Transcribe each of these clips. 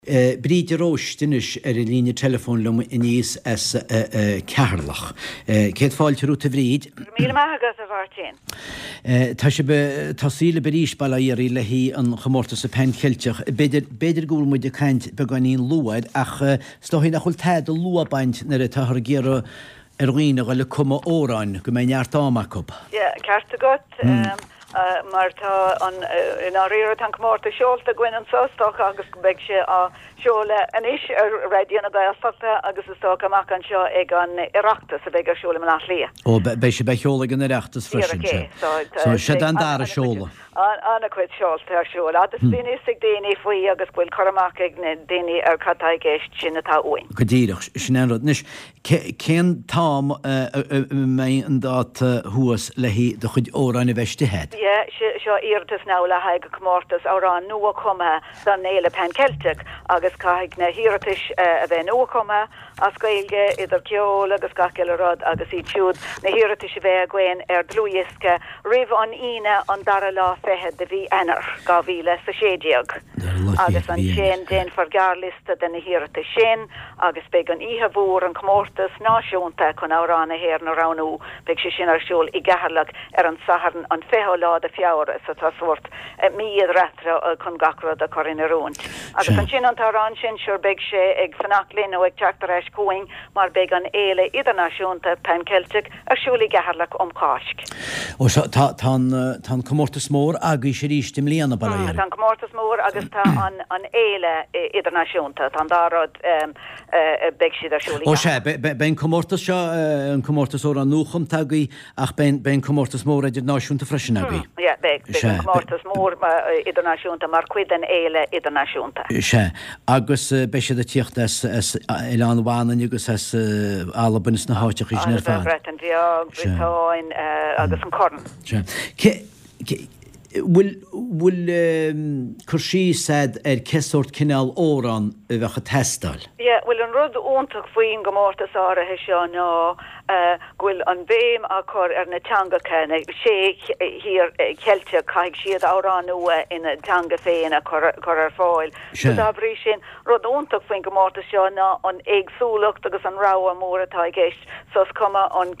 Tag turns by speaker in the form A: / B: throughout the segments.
A: Bríd de Róiste anois ar an líne teileafóin liom aníos as Ceatharlach. Céad fáilte romhat a Bhríd.
B: Go raibh míle maith agat a Mháirtín.
A: Tá sibh ag tosaí libh arís, bail ó Dhia oraibh, le haghaidh an chomórtais Pan Cheilteach. B'fhéidir, b'fhéidir go bhfuil muid ag caint beagáinín luath air ach is dóigh nach bhfuil tada luath ag baint nuair atáthar ag iarraidh ar dhaoine a dhul ag cumadh amhráin, go mbeidh neart ama acu.
B: Yeah, ceart agat. Mar tá an, i ndáiríre, tá an comórtas seolta againn anseo, is dócha, agus beidh sé á seoladh anois ar Raidió na Gaeltachta agus is dócha amach anseo ag an Oireachtas a bheidh ar siúl i mBaile Átha Cliath.
A: Ó, beidh sé á sheoladh ag an Oireachtas freisin,
B: sea.
A: So, seod é an dara seoladh.
B: An-chuid seolta ar siúl. Fhad is a bhíonn fhios ag daoine faoi agus go bhfuil cur amach ag na daoine ar cad tá i gceist, sin atá uainn.
A: Go díreach, sin é an rud. Anois, cén t-am a mbeidh an dáta thuas le haghaidh do chuid amhráin a bheith istigh agat?
B: Yeah, seo iarratas now le haghaidh comórtas amhrán nua-chumtha don Fhéile Pan Celtic agus caithfidh na hiarratais a bheith nua-chumtha as Gaeilge, idir ceol agus gach uile rud, agus iad siúd, na hiarratais a bheith againn ar dlúthdhiosca roimh an Aoine an dara lá fichead de mhí Eanáir, 2016. Agus ansin déanfar gearrliosta de na hiarratais sin agus beidh an oíche mhór, an comórtas náisiúnta chun Amhrán na hÉireann a roghnú, beidh sé sin ar siúl i gCeatharlach ar an Satharn an 20ú lá de Feabhra, so tá sórt mí idir eatarthu chun gach rud a chur in oiriúint. Agus ansin an t-amhrán sin, sure beidh sé ag fanacht linn nó ag teacht ar ais chugainn mar beidh an fhéile idirnáisiúnta Pan Celtic ar siúl i gCeatharlach um Cháisc.
A: Ó so tá tá an tá an comórtas mór agaibhse arís i mbliana, bail ó Dhia oraibh.
B: Tá an comórtas mór agus tá an an fhéile idirnáisiúnta, tá an dá rud beidh siad ar siúl i
A: Ó sea, beidh an comórtas seo, an comórtas amhrán nuachumtha agaibh Ach beidh an comórtas mór idirnáisiúnta freisin agaibh.
B: Yeah, beidh. Beidh an comórtas mór idirnáisiúnta mar chuid den fhéile idirnáisiúnta.
A: Sea. Agus beidh siad ag tíocht as Oileán Mhanainn agus as Albain is na háiteacha sin ar
B: fad. Albain, Breatain Bheag, Briotáin agus an Corn.
A: Sea. Cé, bhfuil, bhfuil cur síos a'd ar cé sórt cineál amhrán a bheadh ag teastáil?
B: Yeah, bhuel an rud iontach faoin gcomórtas áirithe seo ná go bhfuil an bhéim á cur ar na teangacha, na sé thír Cheilteach, caithfidh siad amhrán nua ina dteanga féin a chur ar fáil. So dá bhrí sin, rud iontach faoin gcomórtas seo ná an éagsúlacht agus an rogha mór atá i gceist. So is cuma an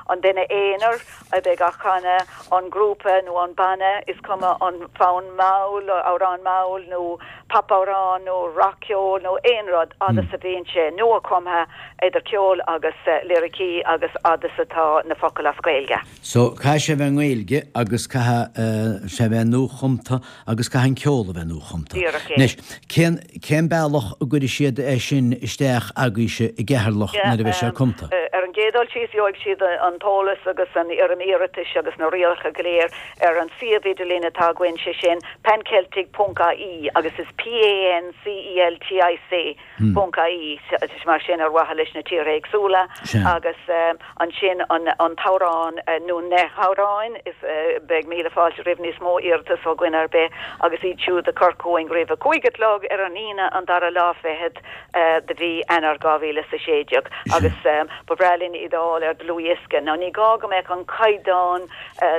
B: an duine aonair a bheidh á chanadh, an grúpa nó an banna, is cuma an fonn mall, amhrán mall nó popamhrán nó rac-cheol nó aon rud, fhad is a bhíonn sé nua-chumtha idir ceol agus liricí agus fhad is atá na focail as Gaeilge.
A: So, caithfidh sé a bheith i nGaeilge agus caithfidh sé a bheith nua-chumtha agus caithfidh an ceol a bheith nua-chumtha.
B: Díreach é.
A: Anois, cén, cén bealach a gcuirfidh siad é sin isteach agaibhse i gCeatharlach nuair a bheidh sé cumtha?
B: Ar an gcéad dul síos, gheobhaidh siad an t-eolas agus an fhoirm iarratais agus na rialacha go léir ar an suíomh idirlín atá againn, sé sin panceltic ponc ie agus is P-A-N-C-E-L-T-I-C ponc ie, mar sin ar mhaithe leis na tíortha éagsúla agus ansin an t-amhrán nó na hamhráin, is beidh míle fáilte roimh níos mó iarratas ó dhuine ar bith agus iad siúd a chur chugainn roimh a cúig a chlog ar an Aoine an dara lá fichead de mhí Eanáir 2016 agus ba bhreá linn iad a fháil ar dlúthdhiosca. Now ní gá go mbeadh an caighdeán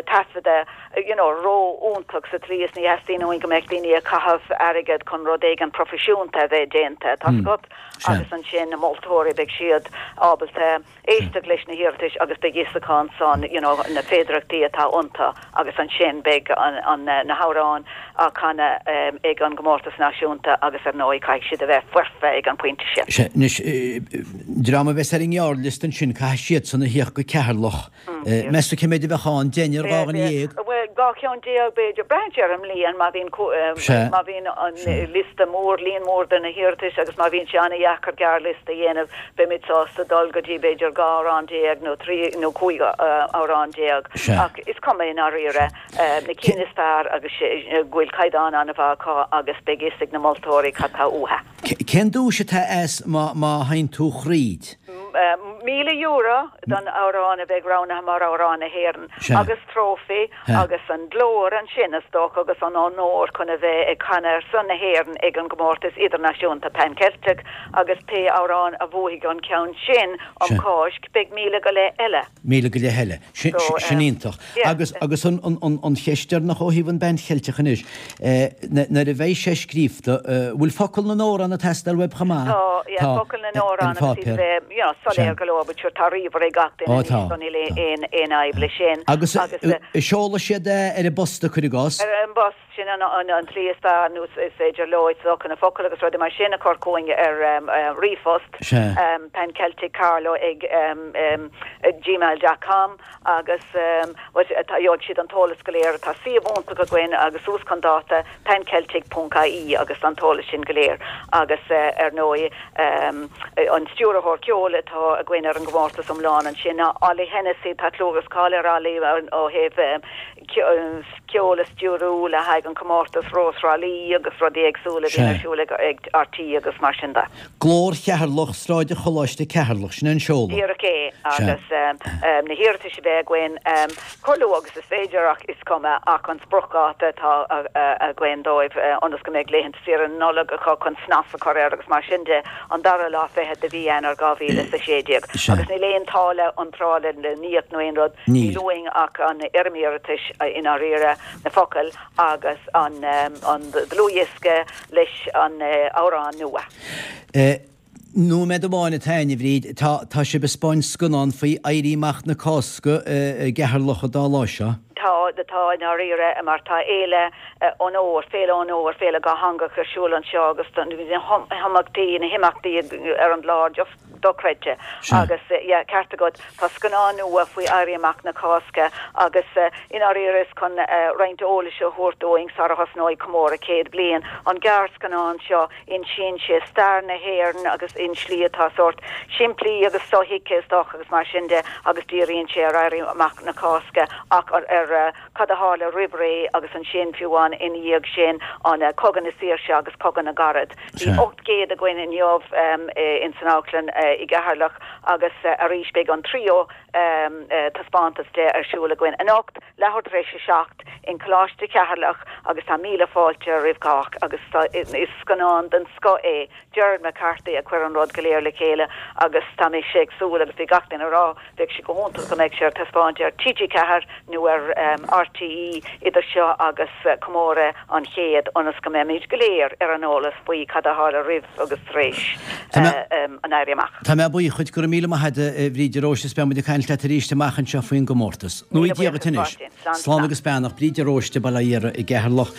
B: taifeadta you know ró-iontach sa tslí is ní theastaíonn uainn go mbeadh daoine ag caitheamh airgead chun rud éigin proifisiúnta a bheith déanta, tá's agat, agus ansin na moltóirí beidh siad ábalta éisteacht leis na hiarratais agus beidh fhios acu ansan you know na féidearthachtaí atá iontu agus ansin beidh an, an, na hamhráin á canadh ag an gcomórtas náisiúnta agus ar ndóigh caithfidh siad a bheith foirfe ag an bpointe sin.
A: Sea, anois, dream a bheas ar an ngearrliosta ansin caithfidh siadsan a thíocht go Ceatharlach Meas tú cé mhéid a bheadh ann? Deichniúr, 12 dhuine?
B: Bhuel, 12 cheann, b'fhéidir. Braitheann sé ar an mbliain, má bhíonn, má bhíonn an liosta mór, líon mór de na hiarratais agus má bhíonn sé an-dheacair gearrliosta a dhéanamh, beimid sásta dul go dtí b'fhéidir 12 amhrán nó trí nó 15 amhrán. Ach is cuma i ndáiríre, na cinn is fearr agus go bhfuil caighdeán an-mhaith acu agus beidh fhios ag na moltóirí cad tá uathu.
A: Cén duais atá as má má théann tú thríd?
B: €1,000 don amhrán a bheidh roghnaithe mar Amhrán na hÉireann agus trófaí agus an glór ansin is dócha agus an onóir chun a bheith ag canadh ar son na hÉireann ag an gcomórtas idirnáisiúnta Pan Ceilteach agus pé amhrán a bhuafaidh an ceann sin um Cháisc beidh 1,000 go leith eile.
A: 1,000 go leith eile. Sin iontach. Agus agus an an cheist deireanach ó thaobh an bPan Cheilteach anois, nuair a bheidh sé scríofa, bhfuil focail na n-amhrán ag teastáil uaibh chomh maith?
B: Tá, yeah, focail na n-amhrán agus iad a bheith, you know, soiléir go leor, but sure tá ríomhaire ag gach duine anois so níl aon aon fhadhb leis sin.
A: Agus seolfaidh siad é ar an bpost, cuir i gcás?
B: Ar an bpost. Sin an tslí is fearr nó is féidir leo is dócha na focail agus rudaí mar sin a chur chugainn ar ríomhphost, pancelticcarlow ag gmail dot com agus gheobhaidh siad an t-eolas go léir. Tá suíomh iontach againn agus suas chun dáta, panceltic ponc ie agus tá an t-eolas sin go léir. Agus ar ndóigh an stiúrthóir ceoil atá againn ar an gcomórtas iomlán ansin ná Ollie Hennessy, tá clú agus cáil ar Ollie ó thaobh ceol a stiúrú le haghaidh an comórtas Rós Thrá Lí agus rudaí éagsúla a bhíonn ar siúl ag RTÉ agus mar sin de.
A: Glór Cheatharlach, Sráid an Choláiste, Ceatharlach, sin é an seoladh.
B: Díreach é, agus na hiarratais a bheidh againn chomh luath agus is féidir ach is cuma ach an spriocdháta atá againn dóibh ionas go mbeidh laethanta saoire na Nollag acu chun snas a chur air agus mar sin de, an dara lá fichead de mhí Eanáir 2016. Agus níl aon táille iontrála le n-íoc nó aon rud. Níl uainn ach an fhoirm iarratais i ndáiríre, na focail agus an dlúthdhiosca leis an amhrán nua.
A: Nóiméad amháin atá againn, a Bhríd. Tá, tá sibh ag 'spáint scannán faoi Éirí Amach na Cásca i gCeatharlach an dá lá seo.
B: Tá, tá i ndáiríre, mar tá Féile Onóir, Féile Onóir, Féile Dhátheangach ar siúl anseo agus na himeachtaí, na himeachtaí ar an gclár just dochreidte. Agus yeah, ceart agat, tá scannán nua faoi Éirí Amach na Cásca agus i ndáiríre is chun roinnt eolais a thabhairt dúinn sara thosnóidh comóradh 100 bliain. An gearrscannán seo, insíonn sé stair na hÉireann agus i slí atá sórt simplí agus sothuigthe is dócha agus mar sin de agus díríonn sé ar Éirí Amach na Cásca ach ar cad a tharla roimh ré agus ansin, fiú amháin ina dhiaidh sin, an Cogadh na Saoirse agus Cogadh na gCarad. Bhí 800 againn inniu in san amharclann i gCeatharlach agus arís beidh an tríú taispeántas de ar siúl againn anocht, leathuair tar éis a 7, in Coláiste Cheatharlach agus tá míle fáilte roimh chách agus is scannán den scoth é Gerard McCarthy a chuir an rud go léir le chéile agus tá mise ag súil agus bhí gach duine ag rá Bheadh sé go hiontach dá mbeadh sé ar taispeáint ar TG4 nó ar RTÉ idir seo agus comóradh an chéid ionas go mbeimid go léir ar an eolas faoi cad a tharla roimh agus tar éis an Éirí Amach.
A: Tá mé buíoch dhuit, go raibh míle maith agat a Bhríd de Róiste is beidh muid ag caint leat arís amach anseo faoin gcomórtas. Míle
B: buíochas
A: Martin. Slán agus beannacht. Bríd de Róiste, Baile Átha Iara i gCeatharlach.